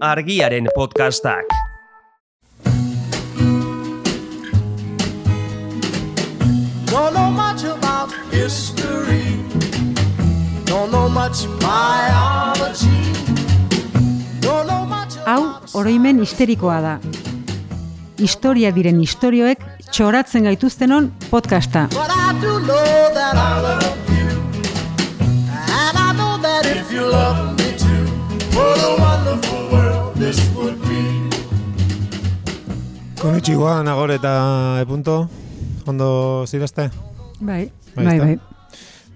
Argiaren podcastak. Don't know much about history. Don't know much biology. Don't know much. Hau oroimen histerikoa da. Historia diren istorioek txoratzen gaituztenon podcasta. But I do know that I love you. And I know that if you love me too, what a wonderful world this would be. Konnichiwa, Nagore eta Epunto. Ondo zidazte? Bai.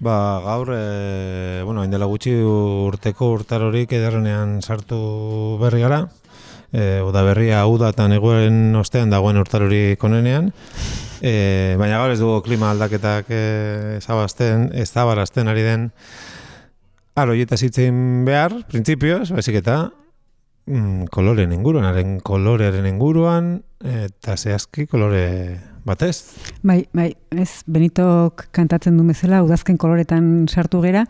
Gaur, hain dela gutxi urteko urtarorik ederrenean sartu berri gara. Uda berria uda eta neguen ostean dagoen urtarorik onenean. Baina gaur ez dugu klima aldaketak ezabarazten ari den aroietaz hitzein behar, printzipioz, baizik eta kolorearen inguruan, eta zehazki kolore batez. Bai, ez Benitok kantatzen du bezala udazken koloretan sartu gera,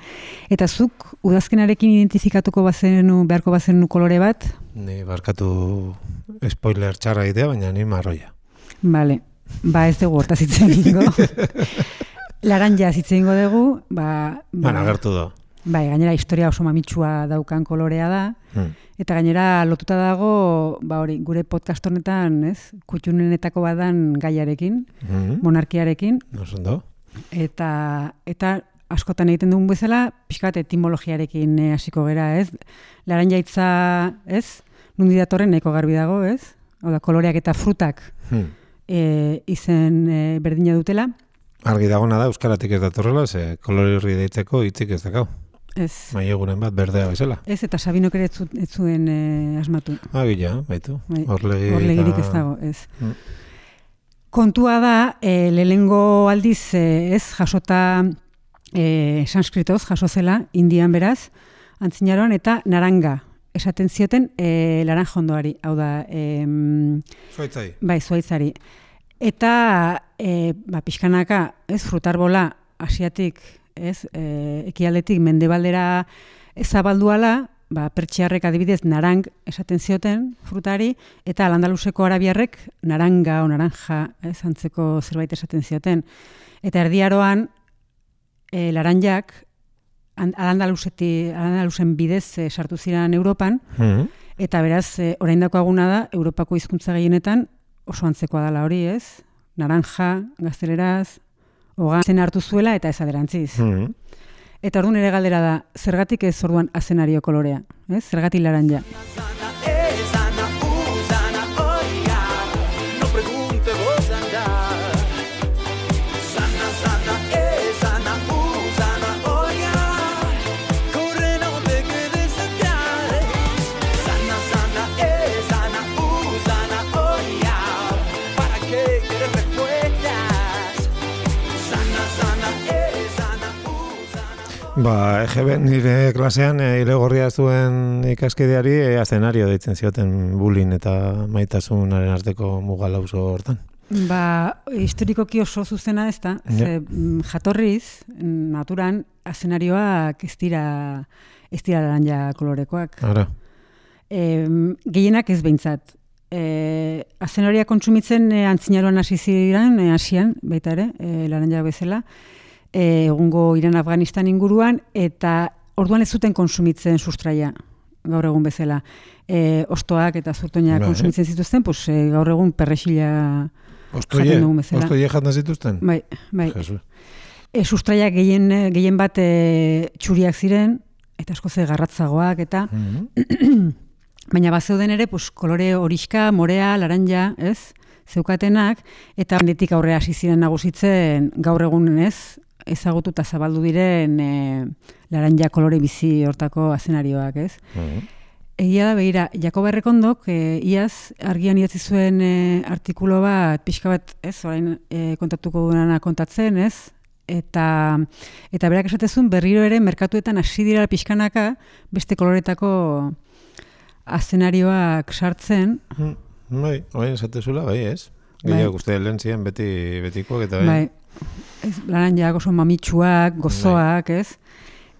eta zuk udazkenarekin identifikatuko beharko bazenu kolore bat? Ni barkatu spoiler txarra idea, baina ni marroia. Bale, ez dugu hortaz hitz egingo. Laranja hitz egingo dugu, agertu da. Bai, gainera historia oso mamitsua daukan kolorea da, eta gainera lotuta dago, gure podcast honetan, ez, kutxunenetako badan gaiarekin, monarkiarekin. Osondo. Eta askotan egiten dugun bezala, pixkat etimologiarekin hasiko gera, ez? Laranja hitza, ez? Nundi datorren nahiko garbi dago, ez? Hau da, koloreak eta frutak izen berdina dutela. Argi dagona da, euskaratik ez datorrela, ze kolore horri deitzeko hitzik ez dakau. Ez. Maieguren bat berdea bezala. Ez, eta Sabinok ere ez zuen asmatu. Gila, baitu. Horlegirik ez dago, ez. Kontua da, lehengo aldiz, jasota sanskritoz, jaso zela, indian beraz, antzinaroan, eta naranga esaten zioten laranjondoari, hau da... Zuaitzari. Bai, zuaitzari. Eta, pixkanaka, frutarbola asiatik, ekialdetik mendebaldera zabalduala, pertsiarrek adibidez narang esaten zioten frutari, eta Al-Andaluseko arabiarrek naranga o naranja antzeko zerbait esaten zioten. Eta erdiaroan, laranjak Al-Andalusen bidez sartu ziren Europan, eta beraz, orain dakoaguna da, Europako hizkuntza gehienetan oso antzekoa dela hori, ez? Naranja, gazteleraz, zen hartu zuela eta ez aderantziz. Eta orduan ere galdera da, zergatik ez orduan azenario kolorea? Zergatik laranja? EGB nire klasean ilegorria zuen ikaskideari azenario deitzen zioten bullying eta maitasunaren arteko mugalauzo hortan. Historikoki oso zuzena ez da, jatorriz, naturan, azenarioak ez dira laranja kolorekoak. Ara. Gehienak ez behintzat. Azenarioa kontsumitzen antzinaroan hasi ziren, Asian, baita ere, laranja bezala, egungo Iran Afganistan inguruan, eta orduan ez zuten konsumitzen sustraia, gaur egun bezala. Ostoak eta zurtoinak konsumitzen zituzten, gaur egun perrexila jaten dugun bezala. Ostoie jaten zituzten? Bai. Sustraiak gehien bat txuriak ziren, eta asko ze garratzagoak, eta baina bazeuden ere, kolore horixka, morea, laranja, ez? Zeukatenak, eta handitik aurrea hasi ziren nagusitzen gaur egun, ez? Ezagutu eta zabaldu diren laranja kolore bizi hortako azenarioak, ez? Egia da, begira, Jakoba Errekondok, iaz, argian idatzi zuen artikulo bat, pixka bat, ez, orain kontatuko duena kontatzen, ez? Eta berak esatezun berriro ere merkatuetan hasi dira pixkanaka beste koloretako azenarioak sartzen. Bai, orain esatezula, bai, ez? Gehiago uste lehen ziren betikoak eta bai. Laranjak oso mamitsuak, gozoak, ez?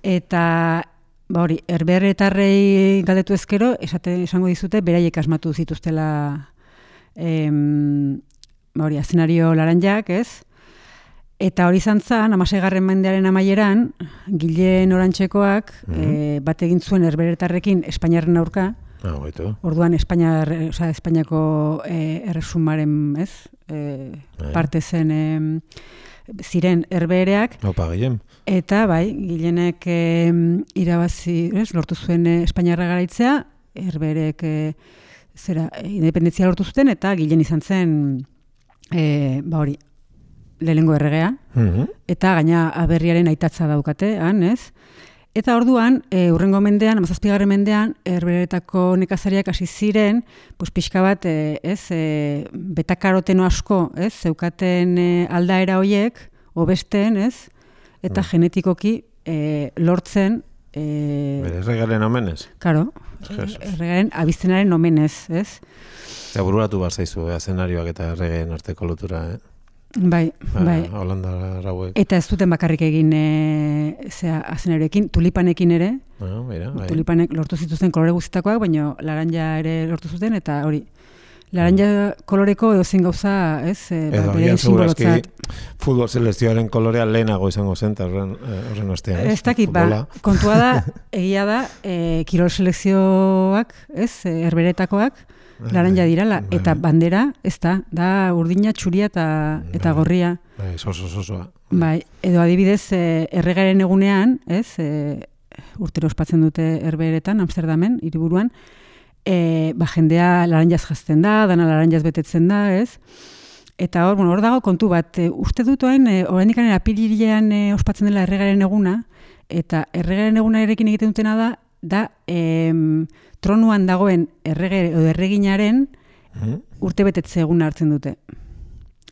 Eta hori, herberetarrei galdetu ezkero, esango dizute, beraiek asmatu zituztela hori, azenario laranjak, ez? Eta hori izan zen, 16. mendearen amaieran, Gilen Orantxekoak bat egin zuen herberetarrekin Espainiarren aurka. Orduan Espainiako erresumaren, ez? Parte zen ziren herbereak. Opa, Gillen. Eta, bai, Gilenek irabazi, lortu zuen Espainiarra garaitzea, herberek independentzia lortu zuten, eta Gilen izan zen, hori, lehenengo erregea, eta gaina aberriaren aitatza daukate, ez? Eta orduan, hurrengo mendean, 17. mendean, herberetako nekazariak hasi ziren, pixka bat, betakaroteno asko, zeukaten aldaera hoiek, hobesten, eta genetikoki lortzen... Erregaren omenez? Karo, erregaren abiztenaren omenez, ez? Eta bururatu bat zaizu, azenarioak eta erregeen arteko lotura, Bai. Holanda rauek. Eta ez duten bakarrik egin azenarioekin, tulipanekin ere. Bai. Tulipanek lortu zituzten kolore guztietakoak, baina laranja ere lortu zuten, eta hori, laranja koloreko edozein gauza, bere simbolotzat. Futbol selekzioaren kolorea lehenago izango zen, horren ostean. Ez dakit, kontua da, egia da, kirol selekzioak, herberetakoak, laranja dirala, eta bandera, ez da urdina, txuria eta gorria. Bai, sosoa. Bai, edo adibidez, erregaren egunean, urtero ospatzen dute herberetan, Amsterdamen, hiriburuan, jendea laranjaz jazten da, dana laranjaz betetzen da, Eta hor dago kontu bat, uste dut oraindik apirilean ospatzen dela erregaren eguna, eta erregaren egunarekin egiten dutena da tronuan dagoen errege edo erreginaren urte betetze eguna hartzen dute.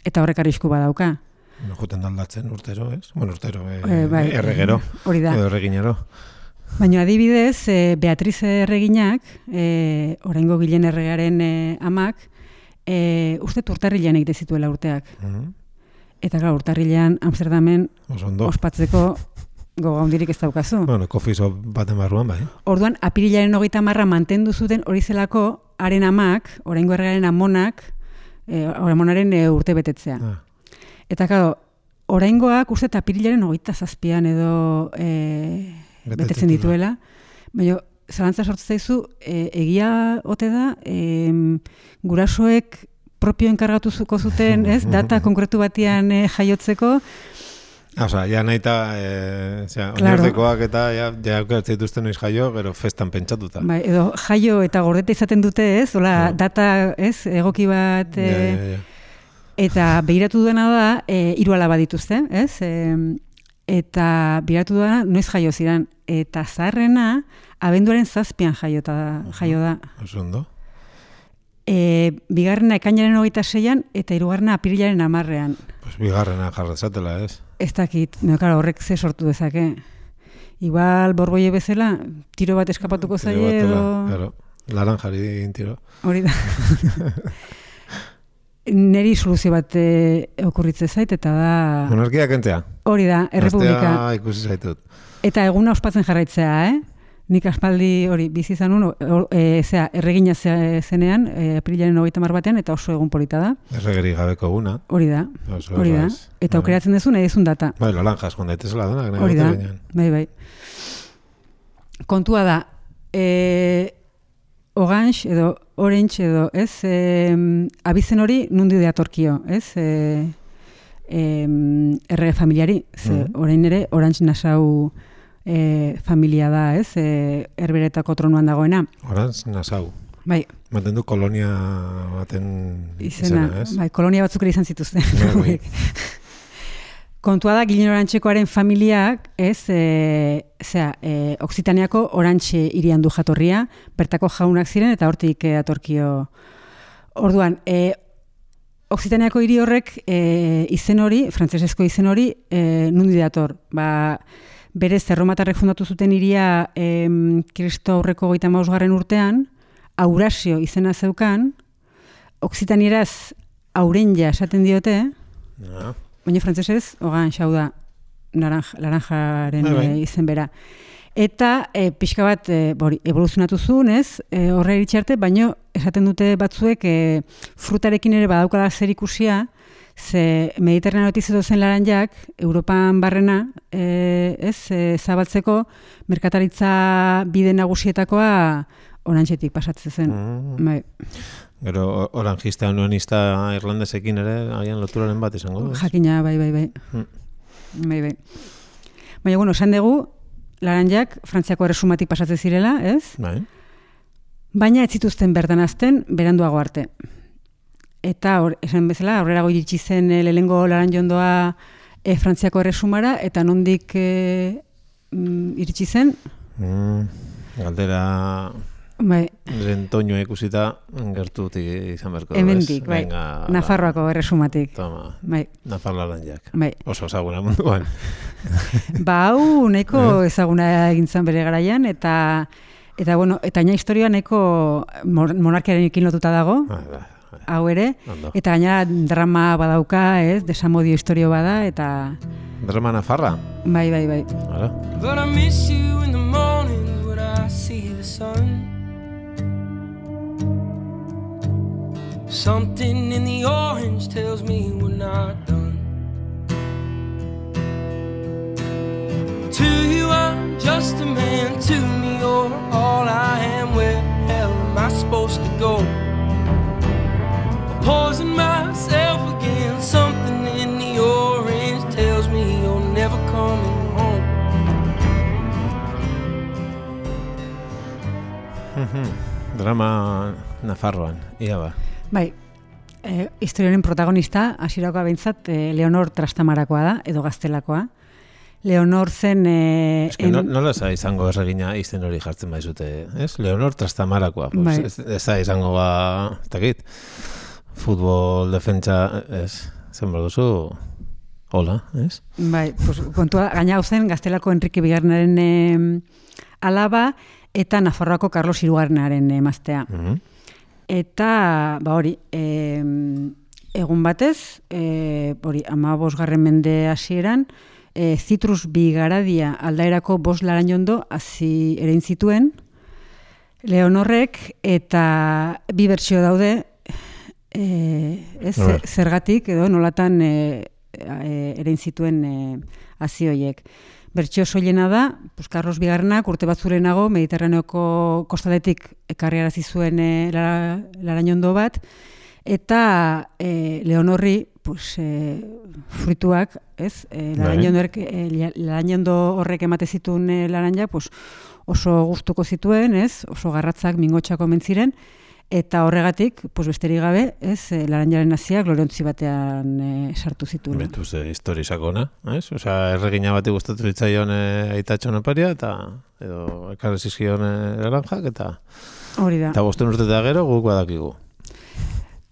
Eta horrek arrisku badauka. Juten daldatzen urtero, ez? Bueno, urtero, erregero, edo erreginero. Baina adibidez, Beatriz erreginak, oraingo Gilen erregaren amak, uste urtarrilean egite zituela urteak. Eta gara, urtarrilean Amsterdamen ospatzeko gogaundirik ez daukazu. Bueno, kofizo baten barruan, bai. Orduan, apirilaren 30 mantendu zuten hori zelako haren amak, oraingo erregaren amonak, amonaren urte betetzea. Eta claro, oraingoak uste apirilaren 27an edo betetzen dituela, baina zalantza sortzen zaizu, egia ote da, gurasoek propio enkargatuzuko zuten, data konkretu batian jaiotzeko. Osa, ja nahi eta oinartekoak eta jaukatzen dituzten noiz jaio, gero festan pentsatuta. Bai, edo jaio eta gordeta izaten dute, data, egoki bat, eta behiratu duena da, 3 alaba dituzte, eta behiratu duena noiz jaio ziren, eta zaharrena, abenduaren 7an jaio da. Oso ondo. Bigarrena ekainaren 26an, eta 3. apirilaren 10an. Pues bigarrena jarrazatela, ez? Ez dakit, horrek ze sortu dezake. Igual borboie bezala, tiro bat eskapatuko zaie edo... Claro, laranjari egin tiro. Hori da. Neri soluzio bat okurritze zait, eta da... Monarkia kentzea. Hori da, errepublika. Astea ikusi zaitut. Eta eguna ospatzen jarraitzea, Nik aspaldi hori bizi izan erregina zenean, apirilaren 30 batean, eta oso egun polita da. Erregeri gabeko eguna. Hori da. Eta aukeratzen duzu nahi duzun data. Bai, laranjas, joan daitezela denak. Hori da, bai. Kontua da, orange edo orange edo, abizen hori nundi datorkio, errege familiari, orain ere Orange Nassau familia da, herberetako tronuan dagoena. Orange Nassau. Bai. Maten du kolonia baten izena, ez? Bai, kolonia batzuk ere izan zituzten. Kontua da, Gilen Orantxekoaren familiak, Oksitaniako Orantxe hirian du jatorria, bertako jaunak ziren eta hortik datorkio. Orduan, Oksitaniako hiri horrek izen hori, frantsesezko izen hori, nundi dator. Berez, erromatarrek fundatu zuten hiria Kristo aurreko 35. urtean, Aurasio izena zeukan, Oksitanieraz Aurenja esaten diote, baina frantsesez, Ogan xau da, laranjaren izen bera. Eta pixka bat evoluzionatu zuen, ez? Horre iritsi arte, baino esaten dute batzuek frutarekin ere badaukala zer ikusia, ze Mediterraneotik zetozen laranjak, Europan barrena, zabaltzeko merkataritza bide nagusietakoa orantxetik pasatzen zen. Bai. Gero oranjista unionista irlandesekin ere agian loturaren bat izango du. Jakina, bai. Bai. Baina, bueno, esan dugu, laranjak Frantziako erresumatik pasatzen zirela, ez? Bai. Baina ez zituzten bertan azten beranduago arte. Eta esan bezala, aurrerago iritsi zen lehengo laranjondoa Frantziako erresumara, eta nondik iritsi zen? Galdera... Bai. Rentoñoa ikusita gertutik izan berko. Hemendik, bai. Nafarroako erresumatik. Toma, bai. Nafar laranjak. Bai. Oso ezaguna munduan. Hau nahiko ezaguna egintzen bere garaian, eta bueno, eta aina historioa nahiko monarkiaren ekin lotuta dago, hau ere, eta gainera drama badauka, ez, desamodio historio bada, eta... Drama nafarra? Bai. Hala. But I miss you in the morning when I see the sun. Something in the orange tells me we're not done. To you I'm just a man, to me you're all I am. Where the hell am I supposed to go? Poison myself again. Something in the orange tells me you're never coming home. Drama Nafarroan, ia ba. Bai, historioaren protagonista, hasierako behintzat, Leonor Trastamarakoa da, edo Gaztelakoa. Leonor zen... Nola izango erregina izen hori jartzen baizute, ez? Leonor Trastamarakoa. Bai. Ez da izango takit, futbol defentsa, ez? Zen duzu, hola, ez? Bai, kontua, gaina hau zen Gaztelako Enrique Bigarrenaren alaba, eta Nafarroako Carlos Hirugarrenaren emaztea. Eta, hori, egun batez, 15. mende hasieran, Zitrus Bigaradia aldaerako 5 laranjondo hasi erein zituen Leonorrek, eta 2 bertsio daude, zergatik, edo nolatan erein zituen hasi horiek. Bertsio soilena da, Carlos Bigarrenak urte batzurenago Mediterraneoko kostaletik ekarriarazi zuen laranjondo bat, eta Leonorri fruituak, ez? Laranjondo horrek emate zituen laranja, oso gustuko zituen, ez? Oso garratzak, mingotxako mentziren, eta horregatik, besterik gabe, ez, laranjaren haziak gloriontzi batean sartu zituen. Betuz histori sakona, ez? Osea, erregina bati gustatu zitzaion aitatxon oparia, eta edo ekarri zizkion laranjak, eta hori da. Eta 5 urte eta gero guk badakigu.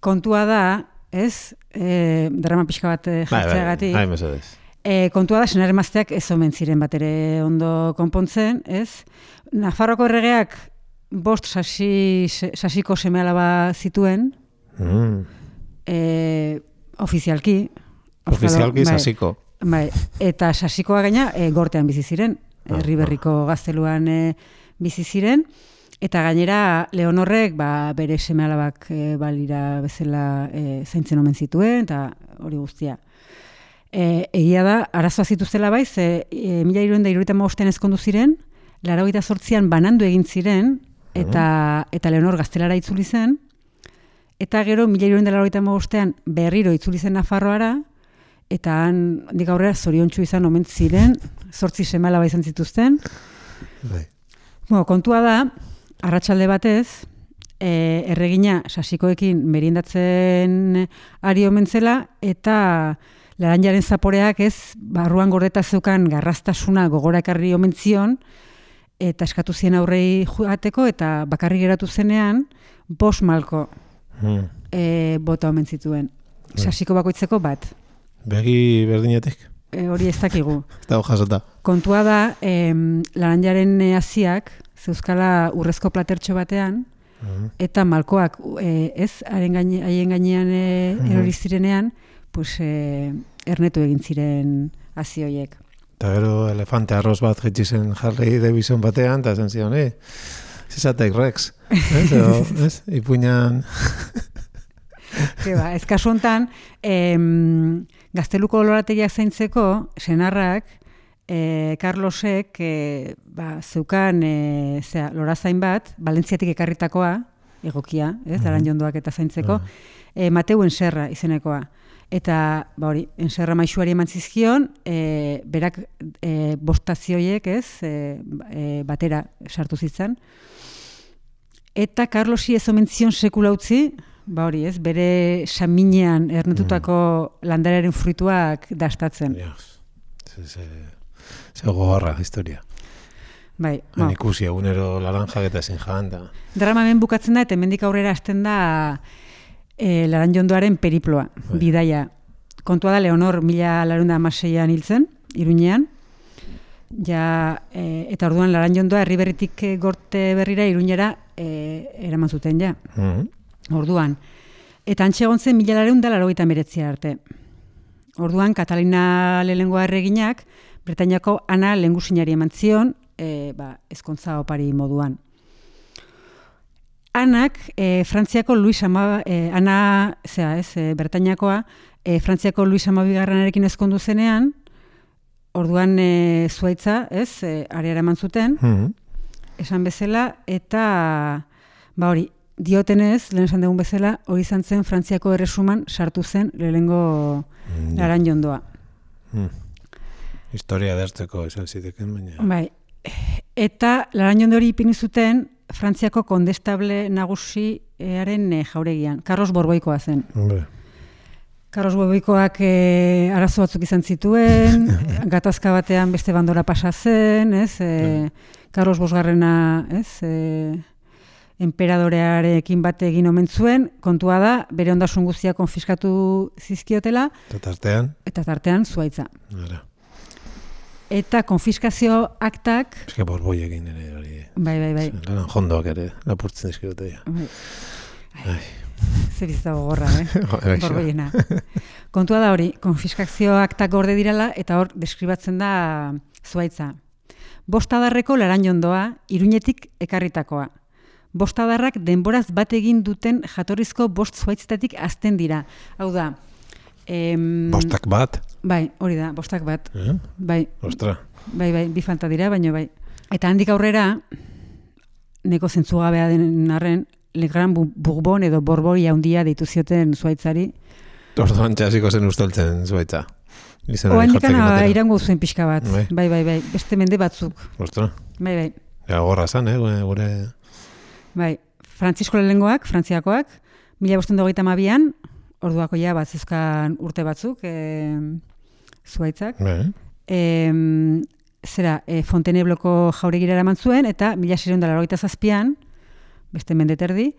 Kontua da, ez, drama pixka bat jartzeagatik. Bai, mesedez. Kontua da, senar emazteak ez omen ziren bat ere ondo konpontzen, ez? Nafarroako erregeak 5 sasiko seme-alaba zituen, ofizialki. Ofizialki sasiko. Bai, eta sasikoa gaina gortean bizi ziren, Herriberriko gazteluan bizi ziren, eta gainera Leonorrek bere seme-alabak balira bezala zaintzen omen zituen, eta hori guztia. Egia da, arazoa zituztela baiz, 1375 ezkondu ziren, 88an banandu egin ziren, eta Leonor Gaztelara itzuli zen, eta gero 1385an berriro itzuli zen Nafarroara, eta handik aurrera zoriontsu izan omen ziren, 8 seme-alaba izan zituzten. Kontua da, arratsalde batez, erregina sasikoekin meriendatzen ari omen zela, eta laranjaren zaporeak ez, barruan gordeta zeukan garraztasuna gogora ekarri omen zion, eta eskatu zien aurrei joateko, eta bakarri geratu zenean, 5 malko bota omen zituen. Sasiko bakoitzeko bat. Begi berdinetik? Hori ez dakigu. Ez dago jasota. Kontua da, laranjaren haziak, zeuzkala urrezko platertxo batean, eta malkoak, haien gainean erori zirenean, ernetu egin ziren hazi horiek. Eta gero elefante arroz bat jetxi zen Harley Davidson batean, eta zen zion, zizatek Rex. Ez? Ipuinan... Ez kasu hontan, Gazteluko lorategiak zaintzeko, senarrak, Carlosek zeukan lorazain bat, Valentziatik ekarritakoa, egokia, laranjondoak eta zaintzeko, Mateu Enserra izenekoa. Eta, hori, Enserra maixuari eman zizkion, berak bostazioiek, batera sartu zitzan. Eta Carlosi ez omen zion sekula utzi, hori, bere saminean ernetutako landarearen fruituak dastatzen. Ze gogorra, historia. Bai. Ikusi egunero laranjak eta ezin jan. Drama hemen bukatzen da, eta hemendik aurrera hasten da Laranjondoaren periploa, bidaia. Kontua da, Leonor 1416an hiltzen, Iruñean, eta orduan Laranjondoa herriberritik gorte berrira Iruñera eraman zuten ja. Orduan. Eta antxe egon zen 1489 arte. Orduan, Katalina lehenengoa erreginak, Bretainiako Ana lehengusinari eman zion, ezkontza opari moduan. Anak, Frantziako Luis Bretainiakoa, Frantziako Luis Amabigarrenarekin ezkondu zenean, orduan Zuaitza, areara eman zuten, esan bezala, eta, hori, diotenez, lehen esan dugun bezala, hori izan zen Frantziako erresuman sartu zen lehenengo Laranjondoa. Historia dertzeko esan ziteken, baina. Bai, eta Laranjondo hori ipini zuten Frantziako kondestable nagusiaren jauregian. Carlos Borboikoa zen. Carlos Borboikoak arazo batzuk izan zituen, gatazka batean beste bandora pasa zen, Carlos Bosgarrena, enperadorearekin bate egin omen zuen, kontua da, bere ondasun guztia konfiskatu zizkiotela. Eta tartean Zuaitza. Eta konfiskazio aktak... Eske Borboi egin ere hori. Bai. Laran jondoak ere, lapurtzen dizkiote ja. Zer bizta gogorra, Borboiena. Kontua da hori, konfiskazio aktak gorde dirala, eta hor deskribatzen da Zuaitza. Bostadarreko Laranjondoa, Iruñetik ekarritakoa. Bostadarrak denboraz bat egin duten jatorrizko bost zuaitzetatik azten dira. Hau da... Bostak bat? Bai, hori da, bostak bat. Bai. Ostra. Bai, bi falta dira, baina bai. Eta handik aurrera, neko zentzugabea den arren, Le Gran Bourbon edo Borboi handia deitu zioten Zuaitzari. Orduan txasiko zen usteltzen Zuaitza. Oandikana irango zuen pixka bat. Bai. Beste mende batzuk. Ostra. Bai. Gorra zan, gure... Bai. Frantzisko lehengoak, frantziakoak, 1522an, orduako ja bat zuzkan urte batzuk, Zuaitzak. Fontainebleauko jauregira eraman zuen, eta 1687an, beste mendeterdi,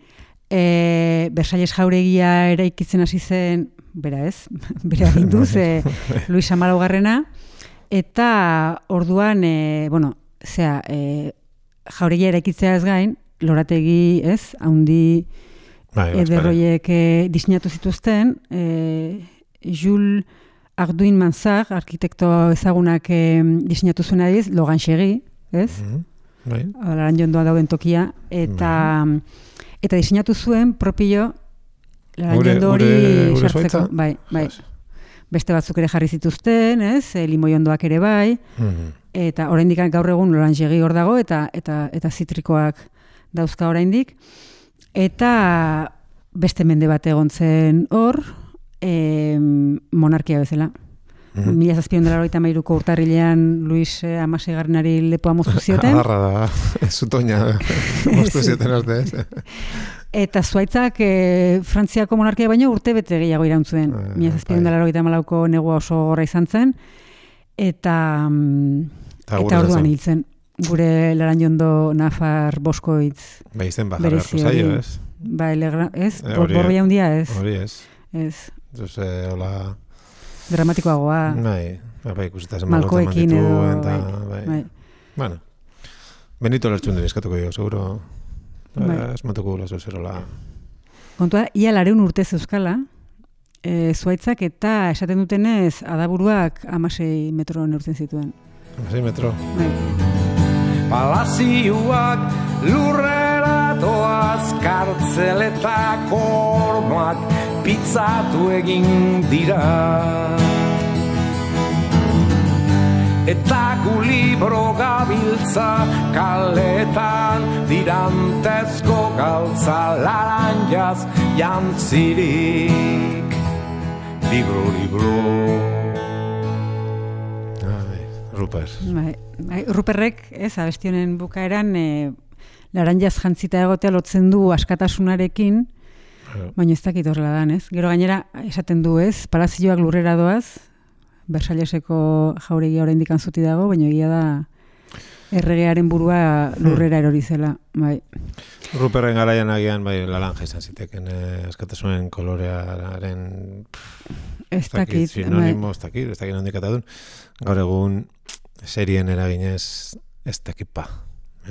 Versalles jauregia eraikitzen hasi zen, bera aginduz, Luis Amalaugarrena, eta orduan, jauregia eraikitzea ez gain, lorategi, haundi ederroiek diseinatu zituzten, Jules Arduin Mansart, arkitekto ezagunak diseinatu zuen adiz, Loganchegi, Laranjondoa dauden tokia, eta diseinatu zuen propio Laranjondo hori sartzeko. Bai. Beste batzuk ere jarri zituzten, limoiondoak ere bai, eta oraindik gaur egun Loganchegi hor dago, eta zitrikoak dauzka oraindik. Eta beste mende bat egon zen hor, monarkia bezala. 1793ko urtarrilean Luis Amaseigarrenari lepoa moztu zioten. Adarra da, zutoina moztu zioten arte, Eta Zuaitzak Frantziako monarkia baino urte bete gehiago iraun zuen. 1794ko negua oso gorra izan zen, eta orduan hil zen. Gure Laranjondo Nafar Boskoitz berezi hori. Bai, Borboi handia ez. Hori ez. Ez. Hola... Dramatikoagoa. Bai, ikusita zen Malkoekin edo. Bai. Bueno, Benito lertxun den eskatuko jo, seguro. Esmatuko gula zozerola. Kontua, ia 200 urte zeuzkala, Zuaitzak eta esaten dutenez adaburuak 16 metro neurtzen zituen. 6 metro. Palazioak lurrera doaz, kartzeletako hormak pitzatu egin dira. Eta gu libro gabiltza kaletan, dirantezko galtza laranjaz jantzirik. Libro. Ruper. Ruperrek, abestionen bukaeran, laranjaz jantzita egotea lotzen du askatasunarekin, baina ez dakit horrela dan, ez? Gero gainera, esaten du, ez? Palazioak lurrera doaz, Versailleseko jauregia oraindik antzuti dago, baina egia da erregearen burua lurrera erori zela, bai. Ruperren garaian agian bai laranja izan ziteken askatasunen kolorearen ez dakit, sinonimo, ez dakit nondik atadun. Gaur egun serien eraginez ez dakipa,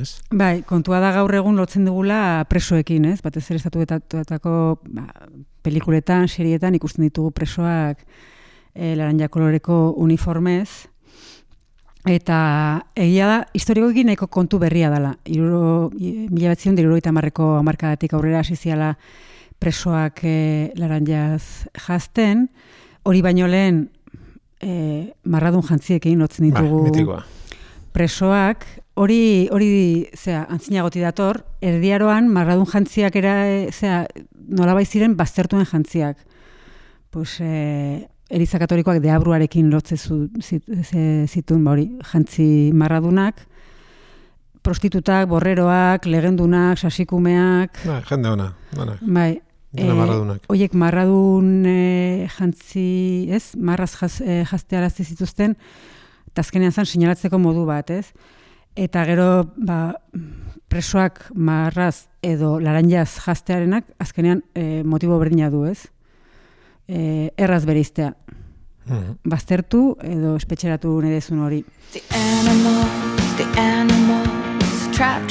ez? Bai, kontua da gaur egun lotzen dugula presoekin, ez? Batez ere estatuetako pelikuletan, serietan ikusten ditugu presoak laranja koloreko uniformez, eta egia da, historikoekin nahiko kontu berria dela. 1970ko hamarkadatik aurrera hasi ziala presoak laranjaz jazten, hori baino lehen marradun jantziekin lotzen ditugu presoak, hori antzinagoti dator, erdiaroan marradun jantziak nolabait ziren baztertuen jantziak. Pues Eliza Katolikoak deabruarekin lotze zituen hori jantzi marradunak, prostitutak, borreroak, legendunak, sasikumeak. Jende ona. Bai. Marradunak. Oiek marradun jantzi, ez? Marraz jaztearazte zituzten, eta azkenean zan sinalatzeko modu bat, ez? Eta gero, presoak marraz edo laranjaz jaztearenak, azkenean motibo berdina du, ez? Erraz bereiztea. Baztertu edo espetxeratu nedezun hori. The animals, trap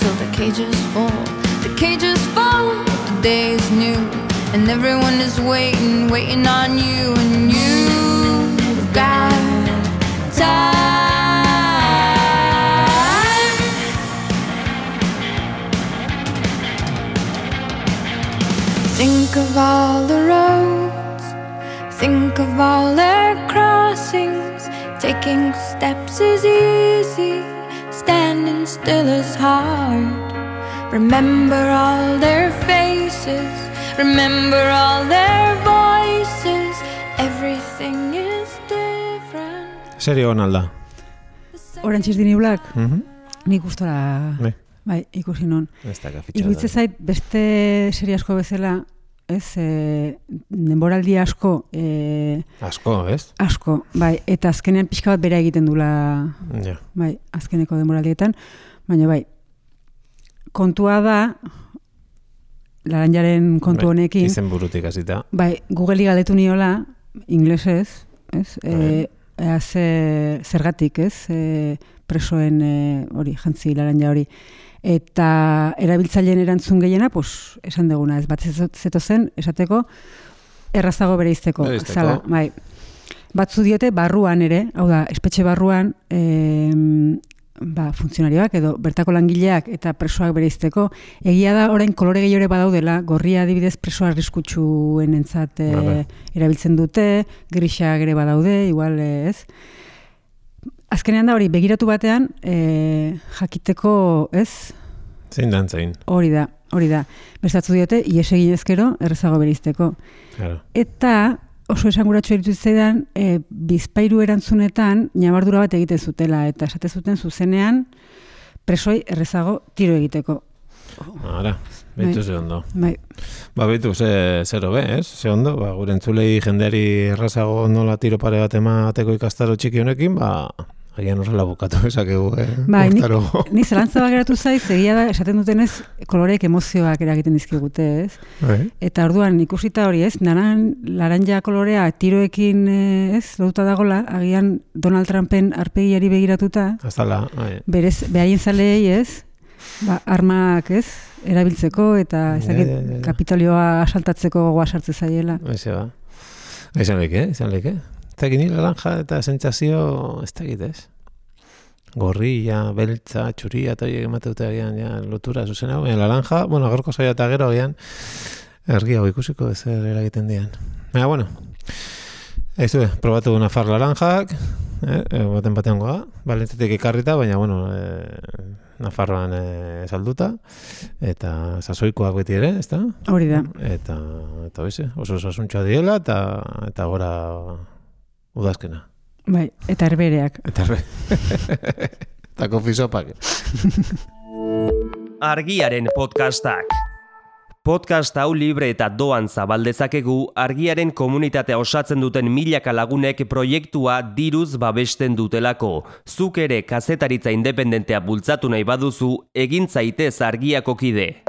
till the cages fall. The cages fall, the day is new, and everyone is waiting on you, and you've got time. Think of all the roads, think of all their crossings. Taking steps is easy, standing still is hard. Remember all their faces, remember all their voices. Everything is different. Serio onalda. Orange is the New Black? Nik gustora bai, ikusi non. Iruditze zait, beste serie asko bezala, ez, denboraldi asko. Asko, ez? Asko, bai, eta azkenean pixka bat bera egiten dula, bai, azkeneko denboraldietan, baina bai, kontua da, laranjaren kontu honekin. Izen burutik hasita. Bai, Googleri galdetu niola, inglesez, ez, zergatik, ez, presoen hori, jantzi laranja hori. Eta erabiltzaileen erantzun gehiena, pues, esan deguna, ez bat zetozen, esateko, errazago bereizteko. Zala, bai. Batzu diote barruan ere, hau da, espetxe barruan, funtzionarioak edo bertako langileak eta presoak bereizteko. Egia da, orain kolore gehiore badaudela, gorria adibidez preso arriskutsuenen entzat erabiltzen dute, grisak ere badaude, igual ez. Azkenean da hori, begiratu batean, jakiteko, ez? Zein dan, zein. Hori da. Bestatzu diote, ies egin ezkero, errezago bereizteko. Claro. Eta oso esanguratsu eritu zaidan, bizpairu erantzunetan, nabardura bat egite zutela, eta esate zuten zuzenean, presoi errezago tiro egiteko. Ara, behitu ze ondo. Bai. Behitu zero be, ez? Ze ondo, gure entzulei jendeari errazago nola tiro pare bat emateko ikastaro txiki honekin, agian horrela bukatu esakegu, Ni zelantza geratu zaiz, egia da, esaten dutenez, koloreek emozioak eragiten dizkigute, ez? Eta orduan, ikusita hori, ez? Laranja kolorea tiroekin, ez? Lotuta dagola, agian Donald Trumpen arpegiari begiratuta. Azala, berez, behaien zaleei, ez? Armak, ez? Erabiltzeko, eta Kapitolioa asaltatzeko gogoa sartze zaiela. Aize ba. Izan leke. Eta gini laranja eta sentsazio ez da egitez. gorria, beltza, txuria, eta horiek emateute agian, ja, lotura zuzen hau, laranja, bueno, agorko zaila eta gero agian, ergi hau ikusiko ezer eragiten dian. Baina, bueno, ez du, probatu Nafar laranjak, batean goa, Balentzetik ikarrita, baina, bueno, Nafarroan salduta, eta sasoikoak beti ere, ezta? Hori da. Eta hoize, oso osasuntxoa diela, eta gora udazkena. Bai, eta herbereak. Eta kofisopak. Argiaren podcastak. Podcast hau libre eta doan zabaldezakegu Argiaren komunitatea osatzen duten milaka lagunek proiektua diruz babesten dutelako. Zuk ere kazetaritza independentea bultzatu nahi baduzu, egin zaitez Argiako kide.